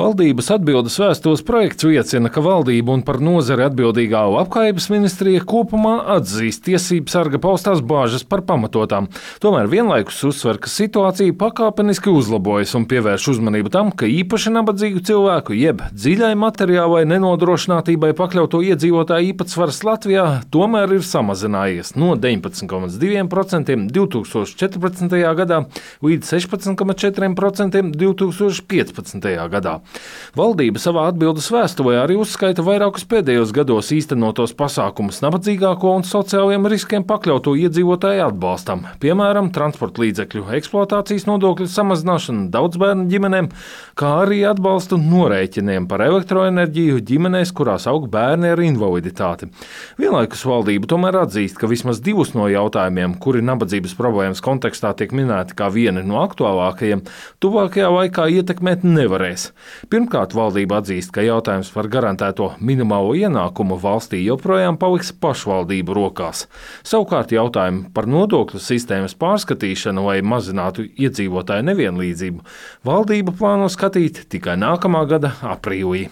Valdības atbildes vēstules projekts liecina, ka valdība un par nozari atbildīgā Labklājības ministrija kopumā atzīst tiesību sarga paustās bāžas par pamatotām. Tomēr vienlaikus uzsver, ka situācija pakāpeniski uzlabojas un pievērš uzmanību tam, ka īpaši nabadzīgu cilvēku jeb dziļai materiālai nenodrošinātībai pakļauto iedzīvotāju īpatsvars Latvijā tomēr ir samazinājies no 19,2% 2014. gadā līdz 16,4% 2015. gadā. Valdība savā atbildes vēstulē arī uzskaita vairākus pēdējos gados īstenotos pasākumus nabadzīgāko un sociāliem riskiem pakļauto iedzīvotāju atbalstam, piemēram, transporta līdzekļu eksploatācijas nodokļu samazināšanu daudzbērnu ģimenēm, kā arī atbalstu norēķiniem par elektroenerģiju ģimenēs, kurās aug bērni ar invaliditāti. Vienlaikus valdība tomēr atzīst, ka vismaz divus no jautājumiem, kuri nabadzības problēmas kontekstā tiek minēti kā vieni no aktuālākajiem, tuvākajā laikā ietekmēt nevarēs. Pirmkārt, valdība atzīst, ka jautājums par garantēto minimālo ienākumu valstī joprojām paliks pašvaldību rokās. Savukārt jautājumu par nodokļu sistēmas pārskatīšanu, lai mazinātu iedzīvotāju nevienlīdzību, valdība plāno skatīt tikai nākamā gada aprīlī.